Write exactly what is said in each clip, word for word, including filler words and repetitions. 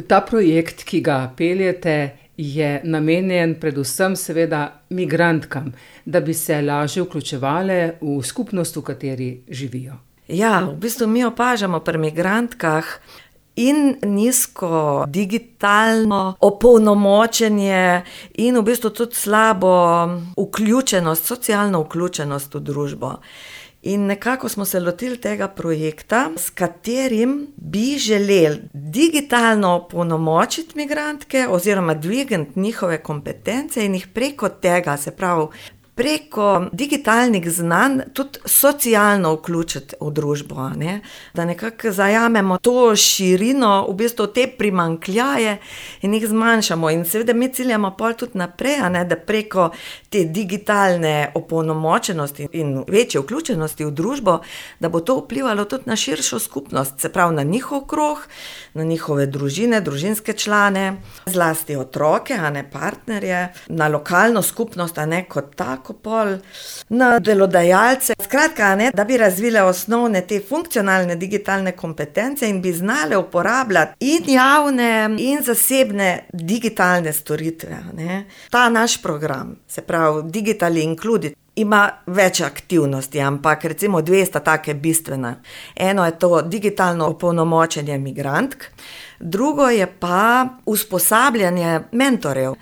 Ta projekt, ki ga peljete, je namenjen predvsem seveda migrantkam, da bi se lažje vključevale v skupnost, v kateri živijo. Ja, v bistvu mi opažamo pri migrantkah in nizko digitalno opolnomočenje in v bistvu tudi slabo vključenost, socialno vključenost v družbo. In nekako smo se lotili tega projekta, s katerim bi želeli digitalno opolnomočiti migrantke oziroma dvigniti njihove kompetence in jih preko tega, se pravi, preko digitalnih znanj tudi socialno vključiti v družbo, ne? Da nekako zajamemo to širino, v bistvu te primanjkljaje in jih zmanjšamo. In seveda mi ciljamo pol tudi naprej, ne? Da preko te digitalne opolnomočenosti in večje vključenosti v družbo, da bo to vplivalo tudi na širšo skupnost, se pravi na njihov krog, na njihove družine, družinske člane, zlasti otroke, a ne partnerje, na lokalno skupnost, a ne kot tako pol, na delodajalce. Skratka, ne, da bi razvile osnovne te funkcionalne digitalne kompetence in bi znale uporabljati in javne in zasebne digitalne storitve, ne. Ta naš program, se pravi Digitally Included, ima več aktivnosti, ampak recimo dve sta take bistvena. Eno je to digitalno opolnomočenje migrantk, drugo je pa usposabljanje mentorjev.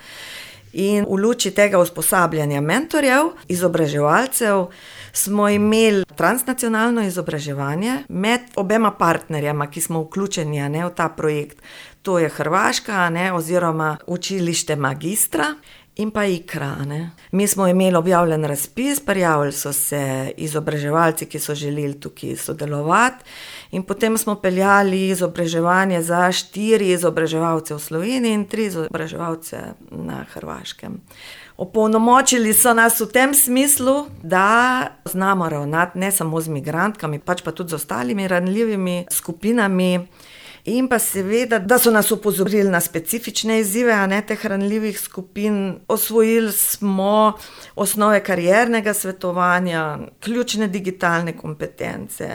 In v luči tega usposabljanja mentorjev, izobraževalcev, smo imeli transnacionalno izobraževanje med obema partnerjama, ki smo vključeni, ne, v ta projekt. To je Hrvaška, ne, oziroma učilište Magistra in pa Ikra, ne. Mi smo imeli objavljen razpis, prijavili so se izobraževalci, ki so želeli tukaj sodelovati, in potem smo peljali izobraževanje za štiri izobraževalce v Sloveniji in tri izobraževalce na Hrvaškem. Opolnomočili so nas v tem smislu, da znamo ravnati ne samo z migrantkami, pač pa tudi z ostalimi ranljivimi skupinami. In pa seveda, da so nas opozorili na specifične izzive, a ne, teh ranljivih skupin. Osvojili smo osnove kariernega svetovanja, ključne digitalne kompetence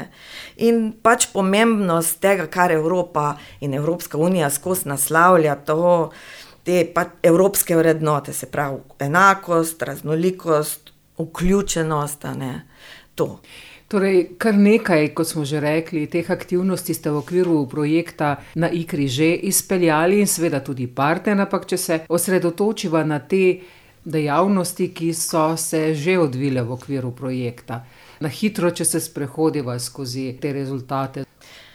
in pač pomembnost tega, kar Evropa in Evropska unija skozi naslavlja, to, te pač evropske vrednote, se pravi enakost, raznolikost, vključenost, a ne, to. Torej, kar nekaj, kot smo že rekli, teh aktivnosti ste v okviru projekta na Ikri že izpeljali in seveda tudi partner, ampak če se osredotočiva na te dejavnosti, ki so se že odvile v okviru projekta. Na hitro, če se sprehodiva skozi te rezultate.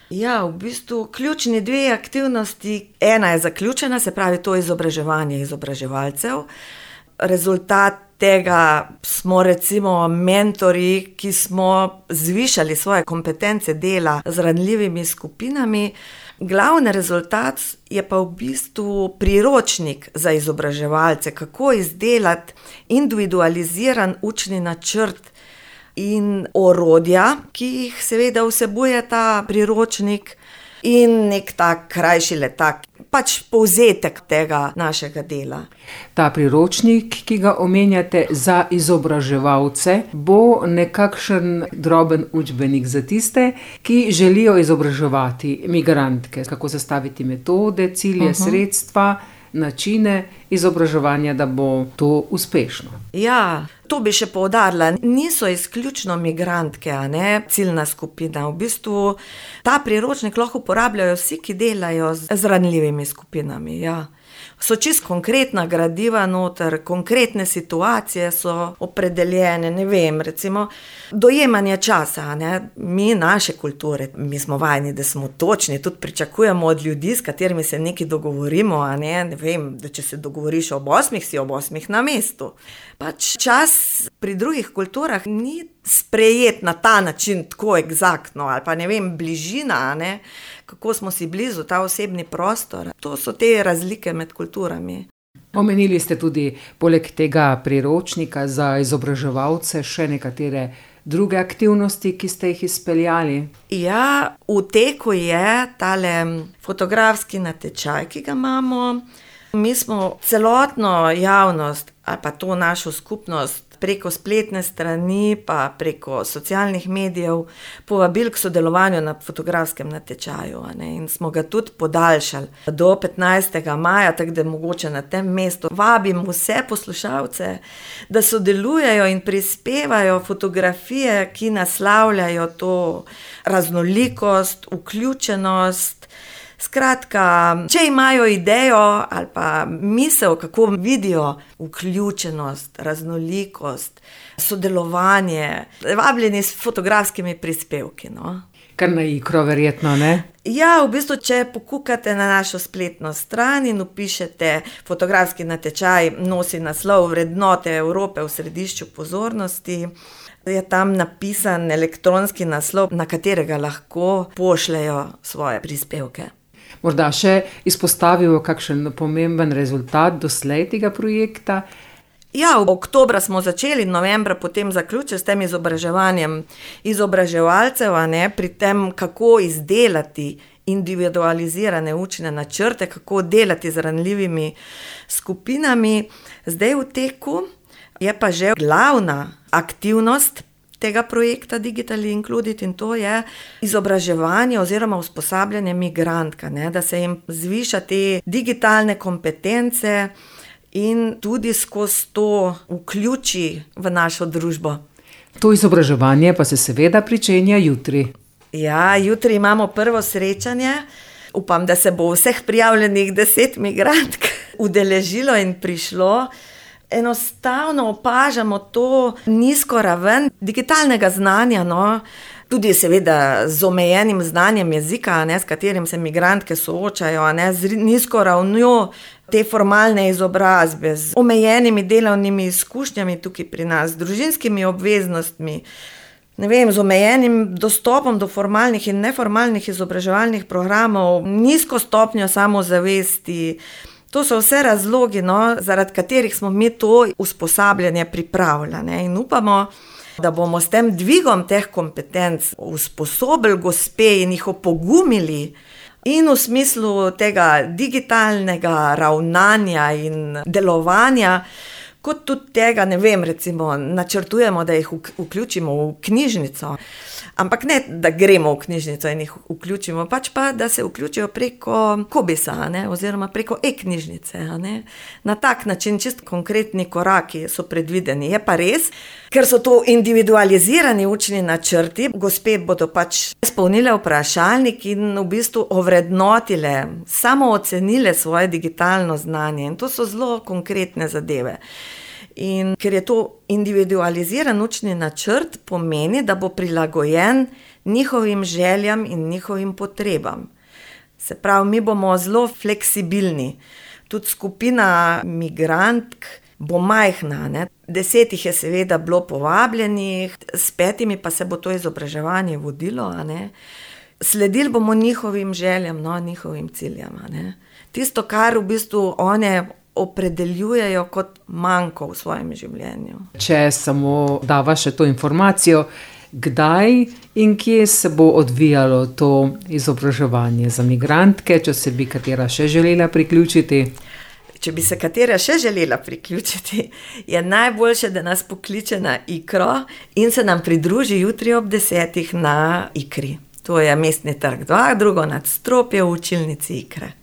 Ja, v bistvu ključni dve aktivnosti. Ena je zaključena, se pravi to izobraževanje izobraževalcev. Rezultat tega smo recimo mentorji, ki smo zvišali svoje kompetence dela z ranljivimi skupinami. Glavni rezultat je pa v bistvu priročnik za izobraževalce, kako izdelati individualiziran učni načrt in orodja, ki jih seveda vsebuje ta priročnik, in nek tak krajši letak, pač povzetek tega našega dela. Ta priročnik, ki ga omenjate za izobraževalce, bo nekakšen droben učbenik za tiste, ki želijo izobraževati migrantke. Kako zastaviti metode, cilje, uh-huh. sredstva, načine izobraževanja, da bo to uspešno. Ja, to bi še poudarila. Niso izključno migrantke, a ne, ciljna skupina. V bistvu ta priročnik lahko uporabljajo vsi, ki delajo z ranljivimi skupinami, ja. So čisto konkretna gradiva noter, konkretne situacije so opredeljene, ne vem, recimo dojemanje časa, ne, mi naše kulture, mi smo vajeni, da smo točni, tudi pričakujemo od ljudi, s katerimi se nekaj dogovorimo, a ne, ne vem, da če se dogovoriš ob osmih, si ob osmih na mestu. Pač čas pri drugih kulturah ni sprejet na ta način, tako eksaktno, ali pa ne vem, bližina, a ne, kako smo si blizu, ta osebni prostor. To so te razlike med kulturami. Omenili ste tudi poleg tega priročnika za izobraževalce še nekatere druge aktivnosti, ki ste jih izpeljali. Ja, v teku je tale fotografski natečaj, ki ga imamo. Mi smo celotno javnost ali pa to našo skupnost preko spletne strani, pa preko socialnih medijev povabili k sodelovanju na fotografskem natečaju, a ne, in smo ga tudi podaljšali do petnajstega maja, tako da mogoče na tem mestu vabim vse poslušalce, da sodelujejo in prispevajo fotografije, ki naslavljajo to raznolikost, vključenost. Skratka, če imajo idejo ali pa misel, kako vidijo vključenost, raznolikost, sodelovanje, vabljeni s fotografskimi prispevki, no. Kar na Ikro verjetno, ne? Ja, v bistvu, če pokukate na našo spletno stran in vpišete fotografski natečaj, nosi naslov Vrednote Evrope v središču pozornosti, je tam napisan elektronski naslov, na katerega lahko pošljejo svoje prispevke. Morda še izpostavijo kakšen pomemben rezultat doslej tega projekta? Ja, v oktobra smo začeli, novembra potem zaključili s tem izobraževanjem izobraževalcev, a ne, pri tem, kako izdelati individualizirane učne načrte, kako delati z ranljivimi skupinami. Zdaj v teku je pa že glavna aktivnost tega projekta Digital Included in to je izobraževanje oziroma usposabljanje migrantk, ne, da se jim zviša te digitalne kompetence in tudi skozi to vključi v našo družbo. To izobraževanje pa se seveda pričenja jutri. Ja, jutri imamo prvo srečanje. Upam, da se bo vseh prijavljenih deset migrantk udeležilo in prišlo. Enostavno opažamo to nizko raven digitalnega znanja, no, tudi seveda z omejenim znanjem jezika, ne, s katerim se migrantke soočajo, ne, z nizko ravnjo te formalne izobrazbe, z omejenimi delovnimi izkušnjami tukaj pri nas, z družinskimi obveznostmi, ne vem, z omejenim dostopom do formalnih in neformalnih izobraževalnih programov, nizko stopnjo samozavesti. To so vse razlogi, no, zaradi katerih smo mi to usposabljanje pripravljali in upamo, da bomo s tem dvigom teh kompetenc usposobili gospe in jih opogumili in v smislu tega digitalnega ravnanja in delovanja, kot tudi tega, ne vem, recimo načrtujemo, da jih vključimo v knjižnico. Ampak ne, da gremo v knjižnico in jih vključimo, pač pa, da se vključijo preko Kobisa, ne, oziroma preko e-knjižnice, ne. Na tak način, čist konkretni koraki so predvideni. Je pa res, ker so to individualizirani učni načrti, gospe bodo pač izpolnile vprašalnik in v bistvu ovrednotile, samo ocenile svoje digitalno znanje. In to so zelo konkretne zadeve. In ker je to individualiziran učni načrt, pomeni, da bo prilagojen njihovim željam in njihovim potrebam. Se pravi, mi bomo zelo fleksibilni. Tudi skupina migrantk bo majhna, ne. Deset jih je seveda bilo povabljenih, s petimi pa se bo to izobraževanje vodilo, a ne. Sledili bomo njihovim željam, no, njihovim ciljem, a ne. Tisto, kar v bistvu one opredeljujejo kot manko v svojem življenju. Če samo dava še to informacijo, kdaj in kje se bo odvijalo to izobraževanje za migrantke, če se bi katera še želela priključiti? Če bi se katera še želela priključiti, je najboljše, da nas pokliče na Ikro in se nam pridruži jutri ob desetih na Ikri. To je Mestni trg dva, drugo nadstropje v učilnici Ikre.